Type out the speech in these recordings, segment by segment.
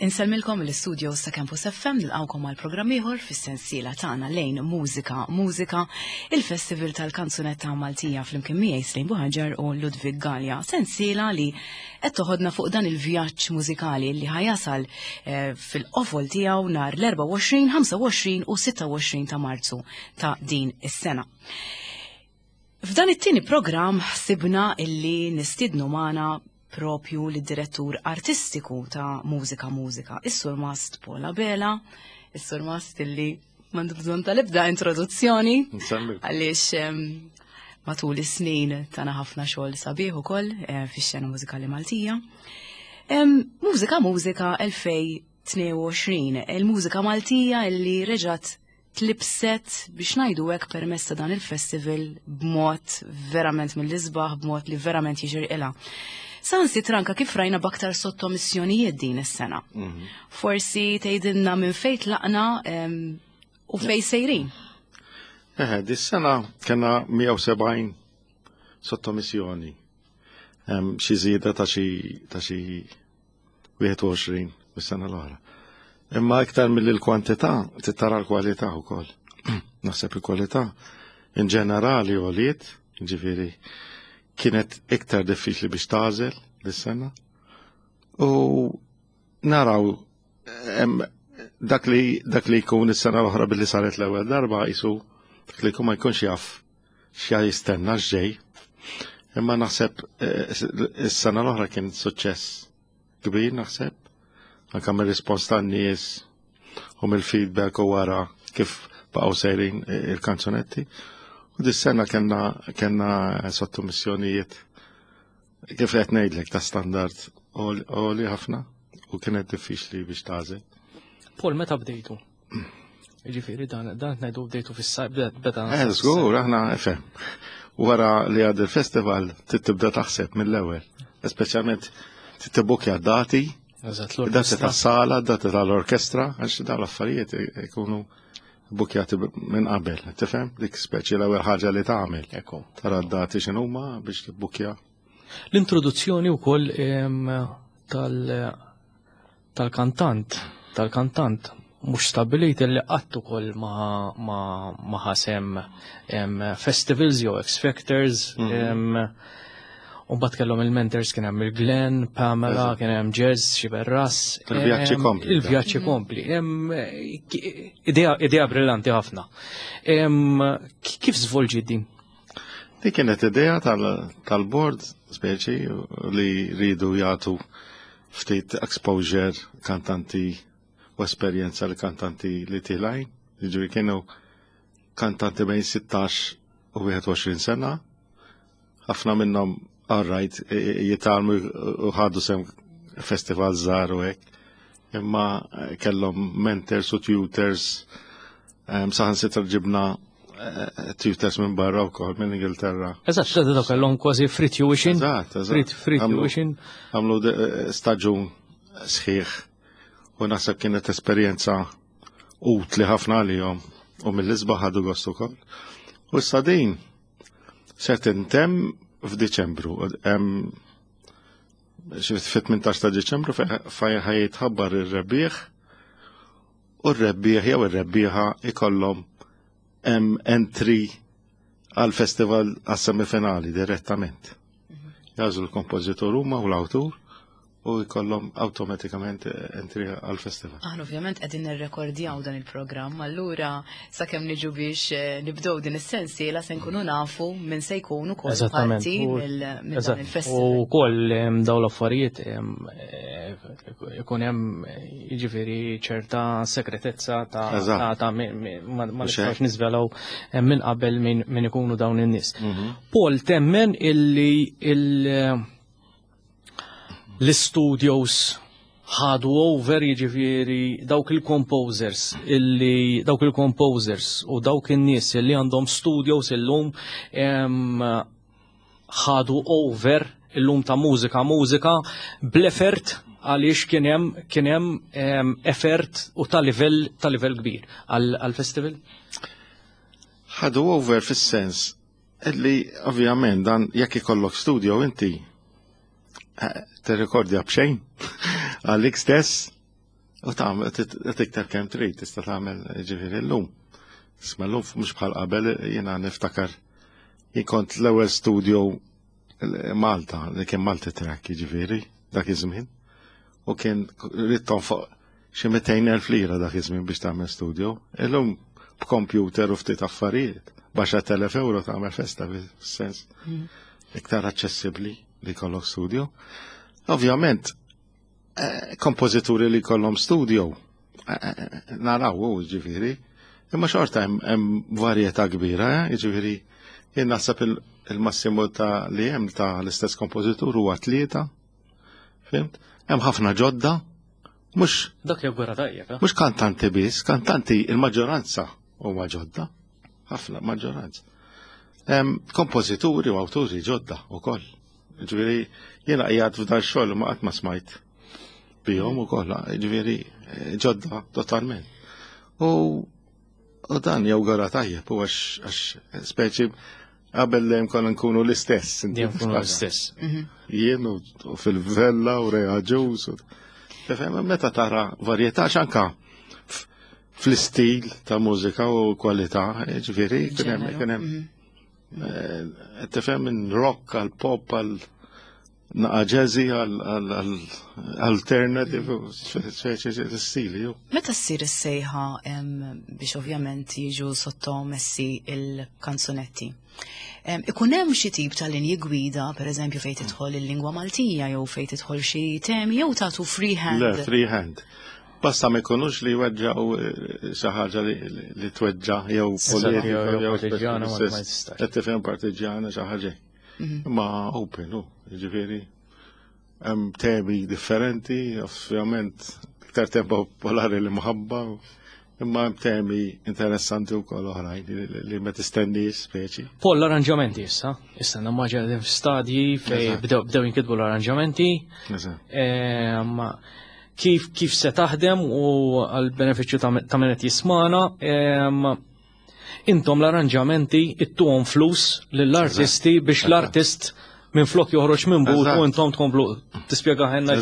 Insellmilkom mill-istudios ta' Campus FM nilqgħukom għal programm ieħor fis-sensiela tagħna lejn Mużika Mużika, il-Festival tal-Kanzunetta Maltija flimkien miegħi Slejn Buħaġar u Ludwig Galea. Sensiela li qed toħodna fuq dan il-vjaġġ mużikali li ħajasal eh, fil-qofol tiegħu nhar l-24, 25 u 26 ta' Marzu ta' din is-sena. F'dan it-tieni programm ħsibna illi nistiednu magħna propju lid-direttur artistiku ta' Mużika Mużika, is-Surmast Paul Abela, is-Surmast illi m'għandu bżonn tal-ebda introduzzjoni għaliex matul is-snin tana ħafna xogħol sabiħ ukoll eh, fix-xena mużikali Maltija. Mużika Mużika 2022, il-mużika Maltija illi reġgħet tlibset biex ngħidu hekk permezz ta' dan il-festival b'mod verament mill-isbaħ, b'mod li verament jixirqilha. Sansi tranka kif rajna b'aktar sottomissjonijiet din is-sena. Mhm. Forsi tgħidilna minn fejn tlaqna u fejn sejrin. Eħe, dis-sena kena 170 sottomissjoni. Xi żieda ta' xi ta' xi 21 mis-sena l-oħra. Imma iktar mill l-kwantità, tara l-kwalità wkoll. Naħseb il-kwalità in ġenerali għoliet, ġifieri kienet iktar diffiċli biex tagħżel dis-sena. U naraw dak li dak li jkun is-sena l-oħra billi saret l-ewwel darba jisu dak li jkun ma jkunx jaf x'ja jistenna x'ġej. Imma naħseb eh, is-sena l-oħra kien suċċess kbir naħseb, anke mir-rispons tan-nies u mill-feedback u wara kif baqgħu sejrin eh, il-kanzunetti. U dis-sena kellna kellna sottomissjonijiet kif qed ngħidlek ta' standard għoli ħafna u kienet diffiċli biex tagħżel. Paul, meta bdejtu? Ġifieri dan dan ngħidu bdejtu fis-sajf beda. Eh, żgur, aħna fem. Wara li għad il-festival tibda taħseb mill-ewwel. Speċjalment tibukja dati, dati tas-sala, dati tal-orkestra, għax dawn l-affarijiet ikunu bukjati minn qabel, tifhem? Dik speċi l-ewwel ħaġa li tagħmel. Tara d-dati x'inhuma biex tibbukja. L-introduzzjoni wkoll tal tal-kantant, tal-kantant mhux stabbilit li qatt ukoll ma, ma, ma ħasem festivals jew X Factors. Mm -hmm. U bat kellhom il-mentors kien hemm il-Glenn, Pamela, kien hemm Jazz, Xiberras. Il-vjaġġi kompli. Il-vjaġġi kompli. Idea, idea brillanti ħafna. Kif żvolġi din? Di kienet idea tal-board, speċi, li ridu jagħtu ftit exposure kantanti u esperjenza li kantanti li tilajn. Jiġifieri kienu kantanti bejn 16 u 21 sena. Ħafna minnhom alright jitgħallmu u ħadu sem festival żgħar u hekk. Imma kellhom mentors u tutors saħansitra ġibna eh, tutors minn barra wkoll minn Ingilterra. Eżatt, x'da dawk kellhom kważi free tuition. Eżatt, eżatt. Free tuition. Għamlu eh, staġun sħiħ u naħseb kienet esperjenza utli ħafna għalihom u mill-isbaħ ħadu gost ukoll. U issa din ser tintemm f'Diċembru. Fit-18 ta' Diċembru fejn ħajjitħabbar ir-rebbieħ u r-rebbieħ jew ir-rebbieħa ikollhom hemm entry għal festival għas-semifinali direttament. Jażlu l-kompożitur huma u l-awtur u jkollhom awtomatikament entry għal festival. Aħna ovvjament qegħdin nirrekordjaw dan il-programm, allura sakemm niġu biex eh, nibdew din is-sensiela se nkunu nafu minn se jkun ukoll parti minn dan il-festival. U wkoll dawn l-affarijiet eh, ikun hemm jiġifieri ċerta segretezza ta' ta' ma nistgħux niżvelaw minn qabel minn ikunu dawn in-nies. Mhm. Paul temmen illi il- l-studios ħadu over jiġifieri dawk il-composers illi dawk il-composers u dawk in-nies illi għandhom studios illum ħadu over illum ta' mużika mużika bl-effort għaliex kien hemm kien hemm effort u ta' livell ta' livell kbir għall-festival. Ħadu over fis-sens Illi ovvjament dan jekk ikollok studio inti eh, tirrekordja b'xejn għalik stess. U tagħmel tiktar kemm trid tista' tagħmel ġifieri llum. Isma' llum mhux bħal qabel jiena niftakar jien kont l-ewwel studio Malta li kien Malti track jiġifieri dak iż-żmien. U kien rrid tonfoq xi 200,000 lira dak iż-żmien biex tagħmel studio. Illum b'computer u ftit affarijiet, baxar telef euro tagħmel festa fis-sens iktar aċċessibbli li jkollok studio. Ovvjament, kompożituri li jkollhom studio, naraw u ġifieri, imma xorta hemm varjetà kbira, ġifieri jien naħseb il-massimu ta' li hemm ta' l-istess kompożitur huwa 3, fimt? Hemm ħafna ġodda, mhux Dak jawgura tajjeb, eh? Mhux kantanti biss, kantanti il-maġġoranza huma ġodda, ħafna maġġoranza. Hemm kompożituri u awturi ġodda wkoll. Ġifieri jiena qiegħed f'dan xogħol ma qatt ma smajt bihom ukoll, ġifieri ġodda totalment. U dan jawgura tajjeb u għax speċi qabel dejjem konna nkunu l-istess. Dejjem nkunu l-istess. Jien u fil-Vella u Rea Ġus. Tifhem, meta tara varjetà x'anka fl-istil ta' mużika u kwalità, ġifieri, kien hemm, Ġeneru. kien hemm, tifhem minn rock għal pop għal naqa jazzy għal alternative, speċi stili. Ju. Meta ssir is-sejħa biex ovvjament jiġu sottomessi il-kanzunetti, ikun hemm xi tip ta' linji gwida, per eżempju fejn tidħol il-lingwa Maltija jew fejn tidħol xi temi jew tagħtu free hand? Le, free hand. Basta ma jkunux li jweġġaw xi ħaġa li tweġġa' jew politika Jew jew partiġjana, ma speċi tistax. Qed tifhem partiġjana xi ħaġa. Ma open, hu, jiġifieri hemm temi differenti, ovvjament iktar tema popolari li mħabba, imma hemm temi interessanti wkoll oħrajn li ma tistenniex speċi. Paul, l-arranġamenti issa, issa nammaġa qegħdin f'stadji fejn bdew jinkitbu l-arranġamenti. Kif se taħdem u għal-benefiċċju ta' min qed jismana, intom l-arranġamenti ittuhom flus lill-artisti biex l-artist minn flok joħroġ minn but u intom tkomplu tispjega ħenna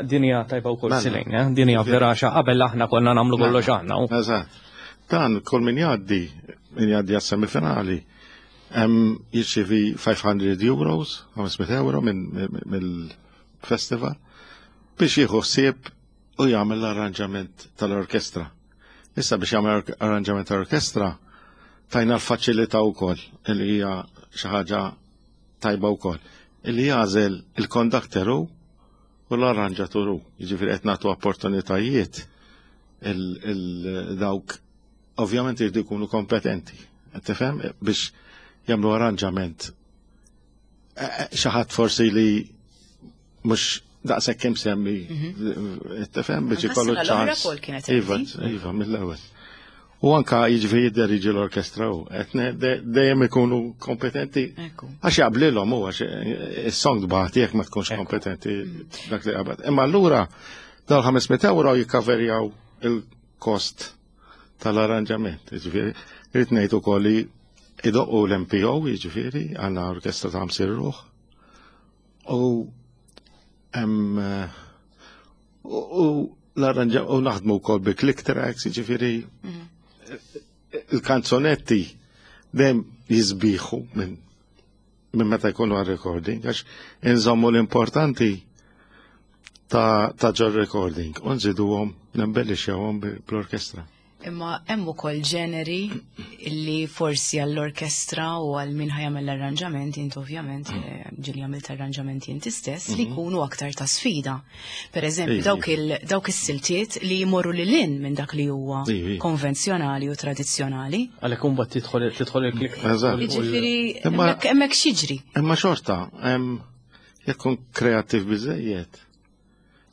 din hija tajba wkoll silejn, eh? Din hija vera xa qabel aħna konna nagħmlu kollox aħna. Eżatt. Dan kull min jgħaddi, min jgħaddi għas-semifinali, hemm jirċievi 500 euros, 500 euro mill-festival biex jieħu ħsieb u jagħmel l-arranġament tal-orkestra. Issa biex jagħmel arranġament tal-orkestra tajna l-faċilità wkoll li hija xi ħaġa tajba wkoll. Illi jagħżel il-kondakter hu u l-arranġatur hu. Jiġifieri qed nagħtu opportunitajiet il-dawk ovvjament jridu jkunu kompetenti. Qed tifhem biex jagħmlu arranġament. Xi ħadd forsi li mhux daqshekk kemm semmi, tifhem biex Anka ikollu s-sena l-oħra ċans. Paul kienet Iva, empty. iva, mill-ewwel. U anka jiġifieri jidderieġi l-orkestra u qed dejjem ikunu kompetenti. Għax jaqblilhom hu, għax is-song tbagħti jekk ma tkunx kompetenti dak li qabad. Imma allura dal 500 euro jikkaverjaw il-kost tal-arranġament. Jiġifieri, rrid ngħid ukoll li idoqqu l-MPO, jiġifieri, għandna orkestra ta' 50 ruħ. U hemm, u l-arranġa u naħdmu wkoll bi click tracks, jiġifieri il-kanzonetti dejjem jisbiħu minn meta jkunu għal recording, għax inżommu l-importanti ta' ġol recording, u nżiduhom, nembellixxewhom bl-orkestra. Imma hemm ukoll ġeneri illi forsi għall-orkestra u għal min ħa jagħmel l-arranġament, int ovvjament, ġieli għamilt arranġamenti inti stess, li jkunu aktar ta' sfida. Per eżempju, dawk is-siltiet li jmorru lil hinn minn dak li huwa konvenzjonali u tradizzjonali. Għalhekk imbagħad tidħol il-klik. Jiġifieri, hemmhekk x'jiġri? Imma xorta, jekk kun kreattiv biżejjed.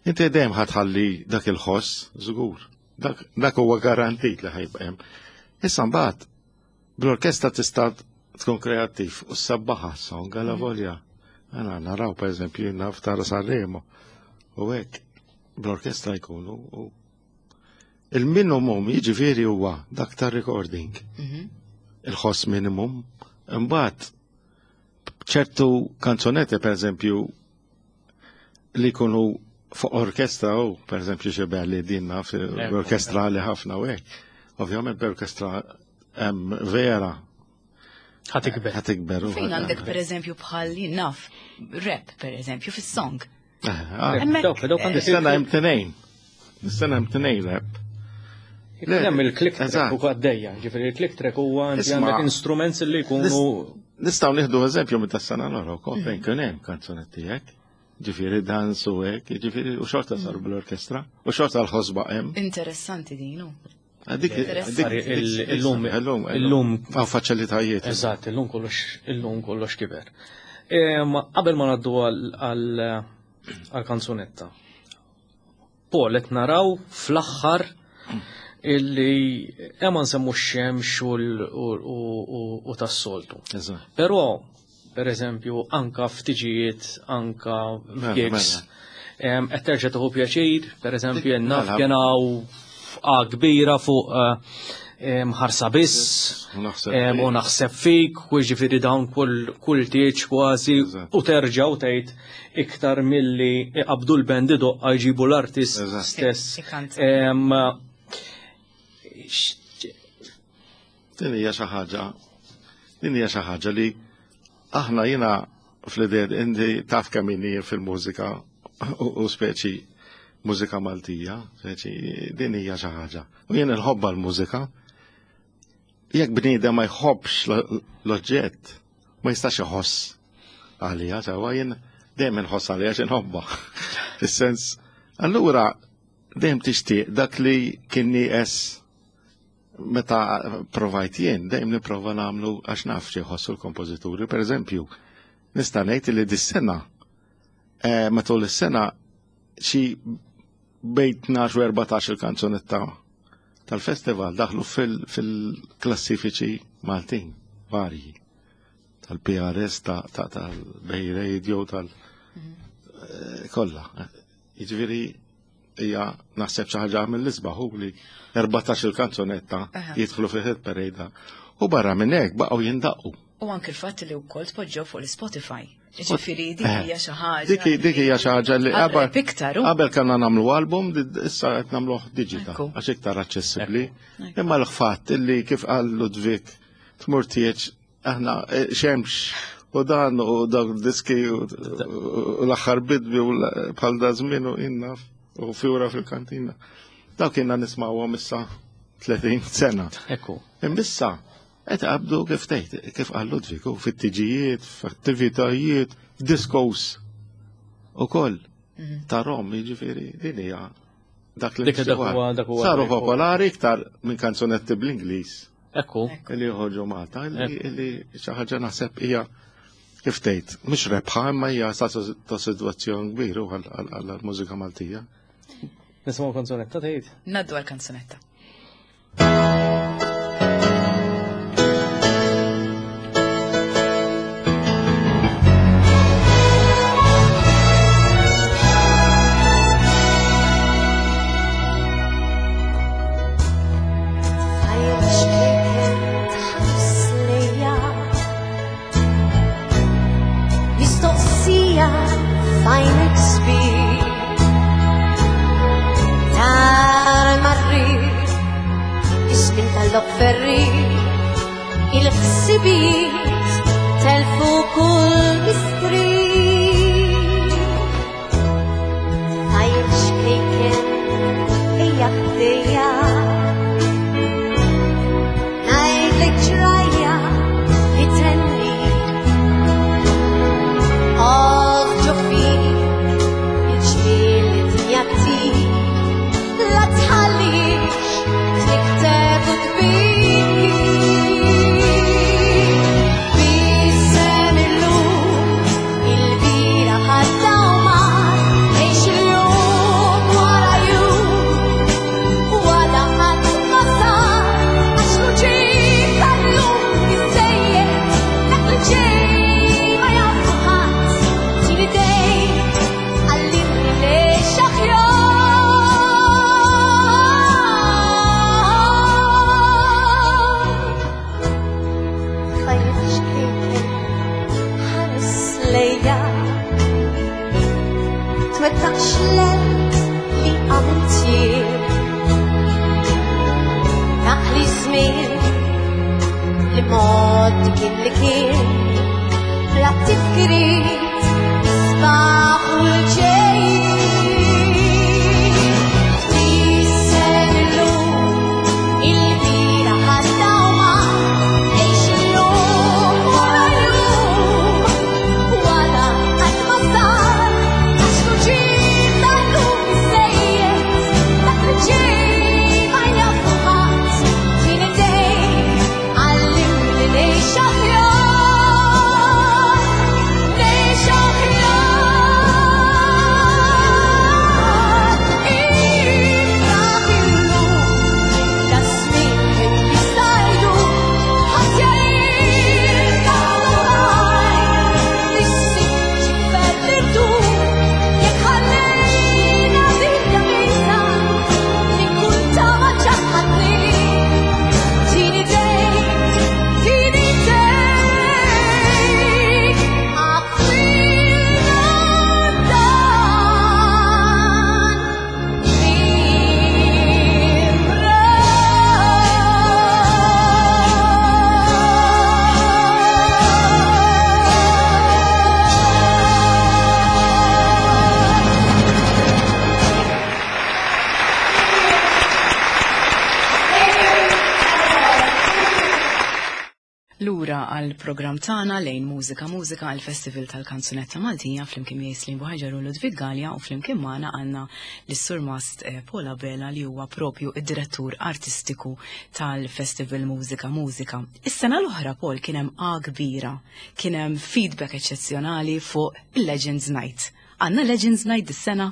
Inti dejjem ħa tħalli dak il-ħoss, żgur. Dak huwa garantit li ħajbqa' hemm. Issa mbagħad bl-orkestra tista' tkun kreattiv u ssabbaħha song għala volja. Għana naraw per eżempju naf tara Sanremo u hekk bl-orkestra jkunu u il-minimum jiġifieri huwa dak ta' recording. Il-ħoss minimum. Imbagħad ċertu kanzonetti per eżempju li jkunu Fuq orkestra u, per eżempju, xi belli din naf, orkestra li ħafna u hekk. Ovvjament b'orkestra vera. Ħatikber. Ħatikber. Fejn għandek per eżempju bħal naf, rap per eżempju fis-song. Dawk, dawk għandek. Is-sena hemm tnejn. Is-sena hemm tnejn rap. Hemm il-click track u għaddejja, ġifieri il-click track huwa għandek instruments li jkunu. Nistgħu nieħdu eżempju minn tas-sena l-oħra wkoll fejn kien hemm kanzunetti hekk. Ġifieri dans u hekk, ġifieri u xorta saru bl-orkestra, u xorta l-ħosba hemm. Interessanti din hu. Dik illum illum hawn faċilitajiet. Eżatt, illum kollox illum kollox kiber. Qabel ma ngħaddu għal kanzunetta. Paul qed naraw fl-aħħar illi hemm nsemmu x-xemx u tas-soltu. Però per eżempju, anka ftiġijiet, anka f'gigs, qed terġa' tieħu pjaċir, per eżempju, naf kien hawn kbira fuq ħarsa biss, u naħseb fik, u ġifieri dawn kull tieġ kważi, u terġa' u tgħid iktar milli iqabdu l-band idoqqa jġibu l-artist stess. Din hija xi ħaġa, din hija xi ħaġa li aħna jiena fl-idea inti taf kemm inni fil-mużika u speċi mużika Maltija, speċi din hija xi ħaġa. U jien inħobba l-mużika. Jekk bniedem ma jħobbx l-oġġett, ma jistax iħoss għalija, sewwa jien dejjem inħoss għalija x'inħobba. Fis-sens, allura dejjem tixtieq dak li kien nieqes meta provajt jien, dejjem nipprova nagħmlu għax naf xi jħossu l-kompożituri. Per eżempju, nista' ngħid li dis-sena matul is-sena xi bejn 12 u 14 il-kanzunetta tal-festival daħlu fil-klassifiċi Maltin varji tal-PRS, tal-Bay Radio, tal- kollha. Jiġifieri hija naħseb xi ħaġa mill-isbaħ hu li 14 il-kanzunetta jidħlu fi hit parade. U barra minn hekk baqgħu jindaqqu. U anke il-fatt li wkoll tpoġġew fuq l-Spotify. Ġifieri dik hija xi ħaġa. Dik hija xi ħaġa li qabel iktar. Qabel kellna nagħmlu album, issa qed nagħmluh digital għax iktar aċċessibbli. Imma l-fatt li kif qal Ludwig tmur tieġ aħna xemx u dan u dak diski u l-aħħar bidwi u bħal da żmien u innaf u fjura fil-kantina. Dawk kienna nismawhom issa 30 sena. Ekku. Imbissa qed qabdu kif tgħid, kif qal Ludwig, u fit-tiġijiet, f'attivitajiet, f'diskos ukoll ta' Rom, jiġifieri din hija dak li Dik dak huwa dak huwa saru popolari iktar minn kanzunetti bl-Ingliż Ekku. li joħorġu Malta, li xi ħaġa naħseb hija kif tgħid, mhux rebħa imma hija ta' sitwazzjoni kbira għall-mużika Maltija. Nisimgħu kanzunetta tgħid? Ngħaddu għal-kanzunetta. Tfajjel xkejken tħares lejja Mistoqsija f'għajnek sbieħ Tara marri Ispin tal-lok ferri Il-ħsibijiet telfu kull mistrieħ Tfajjel xkejken ejja ħdejja Ngħidlek ġrajja li tenni Oħ ġo fik il-ġmiel li dinja tik La tħallix tnikktek u tbiki B'isem illum Lura għal programm tagħna lejn Mużika Mużika għal Festival tal-Kanzunetta Maltija flimkien miegħi Slim Buħaġar u Ludwig Galea u flimkien magħna għandna lis-Surmast eh, Paul Abela li huwa propju id-direttur artistiku tal-Festival Mużika Mużika. Is-sena l-oħra Paul kien hemm A kbira, kien hemm feedback eċċezzjonali fuq il-Legends Night. Għandna Legends Night dis-sena?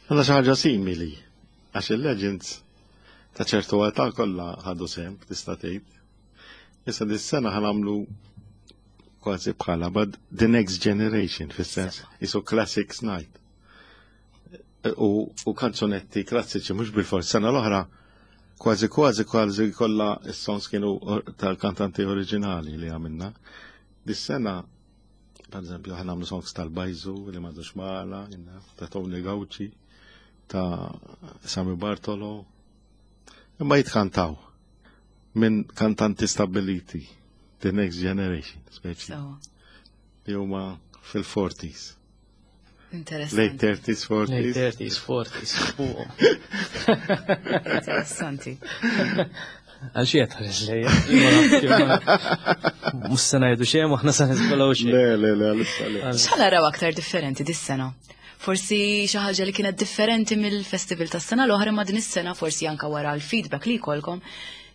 Għandna xi ħaġa simili għax il-Legends ta' ċertu età kollha ħadu sehem tista' tgħid. Issa dis-sena ħanamlu kważi bħala, but the next generation, fis-sens, isu classics night. U, u kanzunetti klassiċi, mhux bil-fors, sena l-oħra, kważi kważi kważi kollha s-songs kienu tal-kantanti oriġinali li għamilna. Dis-sena, per eżempju, ħanamlu songs tal-Bajzu li m'għadux magħna, ta' Tony Gauci, ta' Sami Bartolo, imma jitkantaw minn kantanti stabiliti, the next generation, speċi. Li huma fil-40s. Interessanti. Late 30s, 40s. Late 30s, 40s. Interessanti. Għal xie tħares lejja. Mux sena jgħidu xejn, aħna sa nisbalaw xejn. Le, le, le, għalissa le. X'ħa naraw aktar differenti dis-sena? Forsi xi ħaġa li kienet differenti mill-festival tas-sena l-oħra ma din is-sena forsi anka wara l-feedback li jkollkom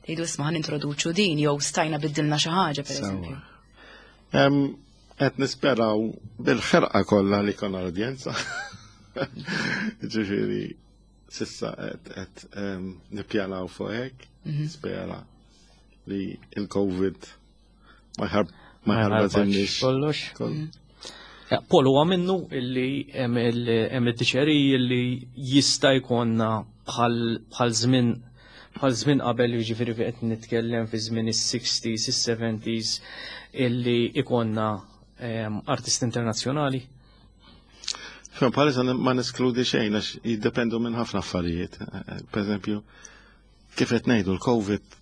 tgħidu isma' ħa nintroduċu din jew stajna biddilna xi ħaġa pereżempju. Qed nisperaw bil-ħerqa kollha li konna l-udjenza. Ġifieri sissa qed nippjanaw fuq hekk, mhm. spera li il-COVID Ma jħarb ma jħarbatilniex. Kollox. Mm. Paul huwa minnu illi hemm id-diċeri illi jista' jkollna bħal żmien bħal żmien qabel jiġifieri qed nitkellem fi żmien is-60s, is-70s illi ikonna ehm, artisti internazzjonali. Fem bħalissa ma neskludi xejn għax jiddependu minn ħafna affarijiet. Per eżempju, kif qed ngħidu l-COVID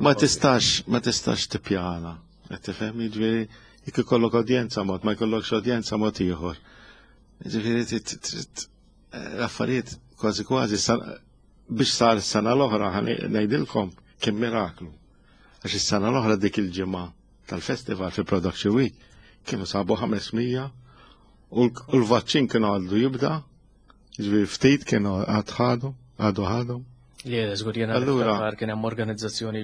Ma tistax, ma tistax tippjana. Qed tifhem, jiġifieri jekk ikollok udjenza mod, ma jkollokx udjenza mod ieħor. Jiġifieri l-affarijiet kważi kważi biex sar is-sena l-oħra ngħidilkom kien miraklu. Għax is-sena l-oħra dik il-ġimgħa tal-festival fi Production Week kienu sabu 500 u l-vaċċin kienu għaddu jibda Ġifieri ftit kienu għad ħadu, għadu ħadu. Le, żgur jiena allura kien hemm organizzazzjoni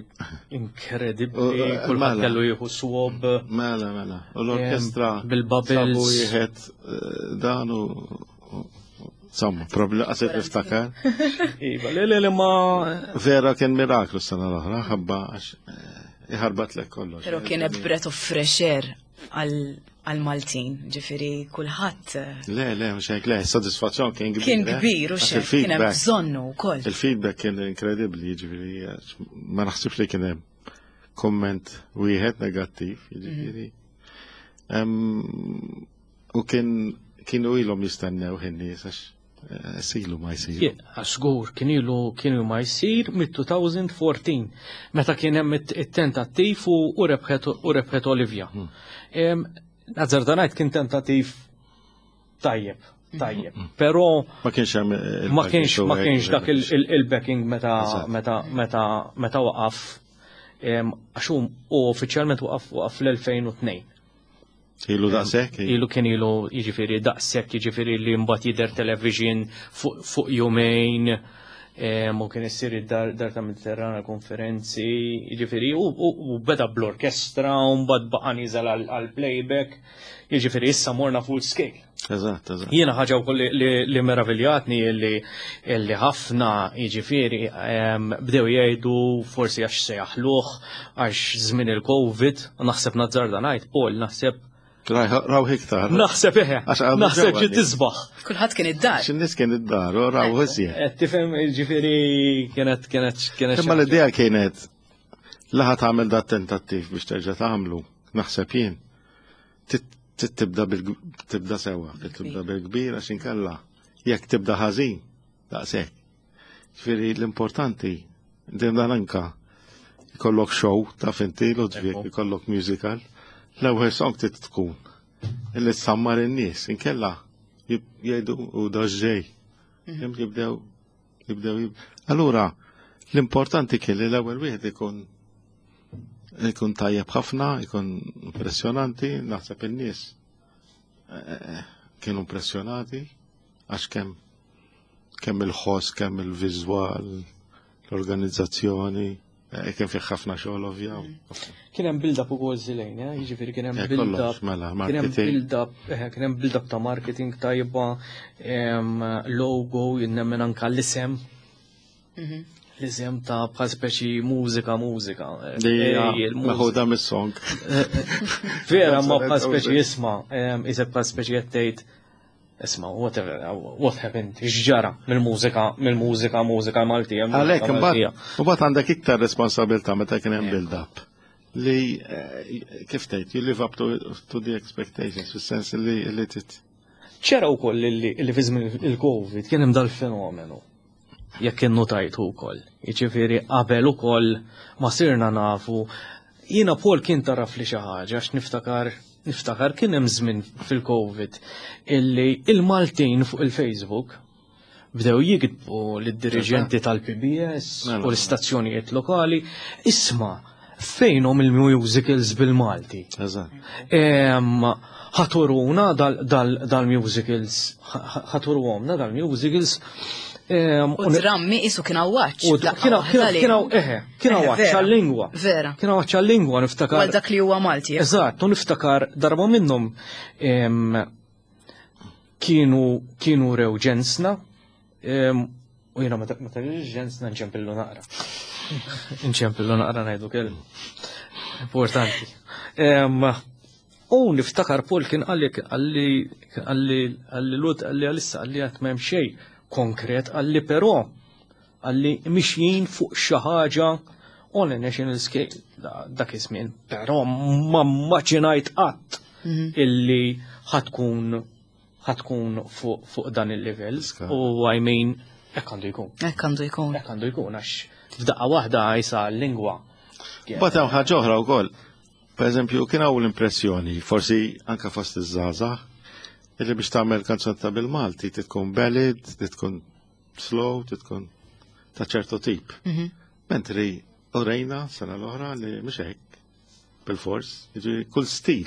inkredibbli, kulħadd mela. kellu jieħu swab. Mela, mela. U l-orkestra bil-bubbles. Sabu wieħed eh, dan u Insomma, problema qaset niftakar. Iva, le le le ma. Vera kien miraklu s-sena l-oħra, ħabba għax eh, iħarbat lek kollox. Pero kien breath of fresh air għal-Maltin, ġifiri kulħadd. Eh, le, le, mhux hekk, le, sodisfazzjon kien kbir. Kien eh? kbir u xejn, kien hemm bżonnu wkoll. Il-feedback kien inkredibbli, ġifieri ma naħsibx li kien hemm komment wieħed negattiv, ġifieri. Mhm. U kien kienu ilhom jistennew in-nies għax Silu ma jsir. Żgur kien ilu kienu ma jsir mit-2014 meta kien hemm it-tentattiv u rebħet u rebħet Olivia. Hmm. Nazzarda ngħid kien tentattiv tajjeb, tajjeb. Hmm. Però ma kienx hemm ma kienx ma kienx dak il-backing meta meta meta meta waqaf għax hu uffiċjalment waqaf waqaf fl-2002. Ilu daqshekk? Ilu kien ilu jiġifieri daqshekk jiġifieri li mbagħad jidher television fuq jumejn u kien issir id-dar dar ta' Mediterrana konferenzi, jiġifieri u beda bl-orkestra u mbagħad baqa' nieżel għall-playback, jiġifieri issa morna full scale. Eżatt, eżatt. Jiena ħaġa wkoll li meraviljatni li ħafna jiġifieri bdew jgħidu forsi għax se jaħluh għax żmien il-Covid, naħseb nazzarda ngħid, Paul, naħseb Raw iktar. Naħseb eħe. Naħseb ġiet tisbaħ. Kulħadd kien id-dar. X'in-nies kien id-dar, u raw iżjed. Qed tifhem jiġifieri kienet kienet kienet. Imma l-idea kienet laħa tagħmel dat tentattiv biex terġa' tagħmlu, naħseb jien. Trid tibda tibda sewwa, trid tibda bil-kbir għax inkella jekk tibda ħażin daqshekk. Ġifieri l-importanti dejjem dan anka jkollok show ta' finti Ludwig, ikollok musical, l-ewwel song trid tkun illi tsammar in-nies, inkella jgħidu u daġġej. Mhm. Jibdew jibdew Allura l-importanti kien li l-ewwel wieħed ikun. Ikun tajjeb ħafna, ikun impressjonanti, naħseb in-nies eh, kienu impressjonati għax kemm kemm il-ħoss, kemm il-viżwal, l-organizzazzjoni, eh, kien fih ħafna xogħol ovvja. Kien hemm build-up ukoll żilejn, eh? jiġifieri kien hemm Eh, build-up. kollox, mela, Kien hemm marketing. build-up, eh, kien hemm build-up ta' marketing tajba, logo, jinnemmen anka l-isem. L-isem ta' bħal speċi mużika, mużika. Eh, Li hija ej, il-mużika. meħuda mis-song. Vera, ma bħal speċi isma, isek bħal speċi qed tgħid isma, whatever, what happened, x'ġara mill-mużika, mill-mużika, mużika Maltija. mużika Għalhekk Maltija. imbagħad imbagħad għandek iktar responsabilità meta kien hemm build-up. Li eh, kif tgħid, you live up to the expectations, fis-sens li li tit. ċera wkoll li li fi żmien il-Covid kien hemm dal-fenomenu. Jekk innotajtu wkoll. Jiġifieri qabel ukoll ma sirna nafu. Jiena Paul kien taraf li xi ħaġa għax niftakar niftakar kien hemm żmien fil-Covid illi il-Maltin fuq il-Facebook bdew jiktbu lid-diriġenti tal-PBS Mela. u l-istazzjonijiet lokali isma' fejnhom il-musicals bil-Malti. Eżatt. Ħa turuna dal-musicals, ħa turuhomna dal-musicals. U drammi isu kien għawaċ. U kienu, eħe, kienu għawaċ għal-lingwa. Vera. Kienu għawaċ għal-lingwa, niftakar. Għal dak li huwa Malti. Eżatt, u niftakar darba minnhom kienu kienu rew ġensna, u jiena meta meta ġensna nċempillu naqra. Nċempillu naqra ngħidu kelma. Importanti. U niftakar Paul kien qalli qalli qalli qalli Lud qalli għalissa qalli għad m'hemm xejn konkret qalli però qalli mixjin fuq xi ħaġa on a national scale dak iż-żmien, però ma mmaġinajt qatt illi ħa tkun ħa tkun fuq fuq dan il-level Ska. u I mean hekk għandu jkun. Hekk għandu jkun. Hekk għandu jkun għax f'daqqa waħda jisa l-lingwa. Mbagħad hemm ħaġa oħra wkoll. Per eżempju, kien hawn l-impressjoni, forsi anka fost iż-żgħażagħ, illi biex tagħmel kanzunetta bil-Malti trid tkun ballad, trid tkun slow, trid tkun ta' ċertu tip. Mentri urejna sena l-oħra li mhux hekk bil-fors, jiġifieri kull stil.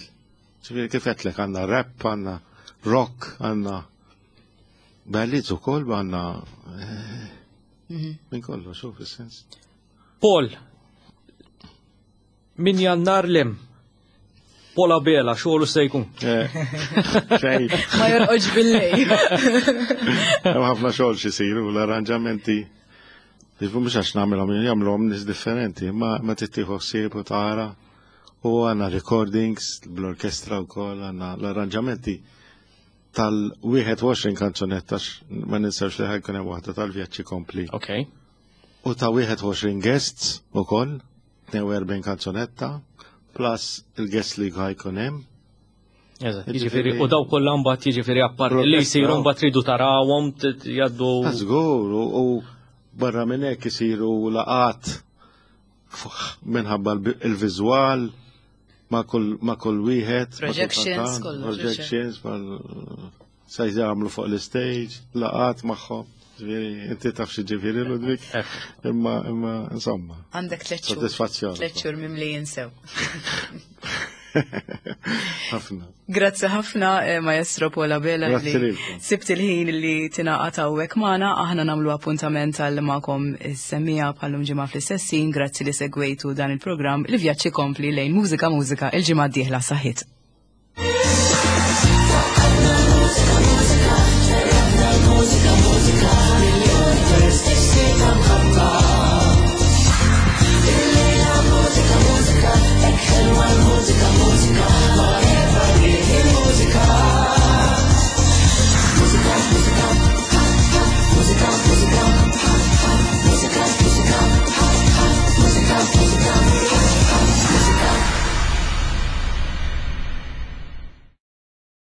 Ġifieri kif għedtlek għandna rap, għandna rock, għandna ballads ukoll, għandna eh, minn kollox, xuf fis-sens. Paul, min Jannar 'l hemm. Paul Abela, xogħlu se jkun. Eh, Xejn. Ma jorqodx bil-lejl. Hemm ħafna xogħol x'isiru l-arranġamenti. Jiġifieri mhux għax nagħmilhom jagħmluhom nies differenti, ma ma tittieħu ħsieb u tara. U għandna recordings bl-orkestra wkoll għandna l-arranġamenti tal-21 kanzunetta ma ninsewx li ħa jkun hemm waħda tal-vjaġġi kompli. Ok. U ta' 21 guests ukoll, 42 kanzunetta, plus il-guests li ħa jkun hemm. Eżatt, jiġifieri u daw kollha mbagħad jiġifieri apparti li jsiru mbagħad tridu tarawhom jgħaddu. Żgur, u barra minn hekk isiru laqat minħabba il-viżwal ma' kull ma' kull wieħed. Projections, kollox, Projections, sa jagħmlu fuq l-stage, laqat magħhom. Ġifieri, inti taf xi ġifieri Ludwig, imma imma insomma. Għandek 3 xhur. Soddisfazzjon. 3 xhur mimli jinsew. Ħafna. Grazzi ħafna, eh, Maestro Paul Abela, Grazzi li lilkom. sibt il-ħin li tingħaqad hawnhekk magħna, aħna nagħmlu appuntament għal magħkom is-semmiegħa bħal-lum ġimgħa fl-istess ħin, grazzi li segwejtu dan il-programm li vjaġġi kompli lejn mużika mużika il-ġimgħa d-dieħla saħħit.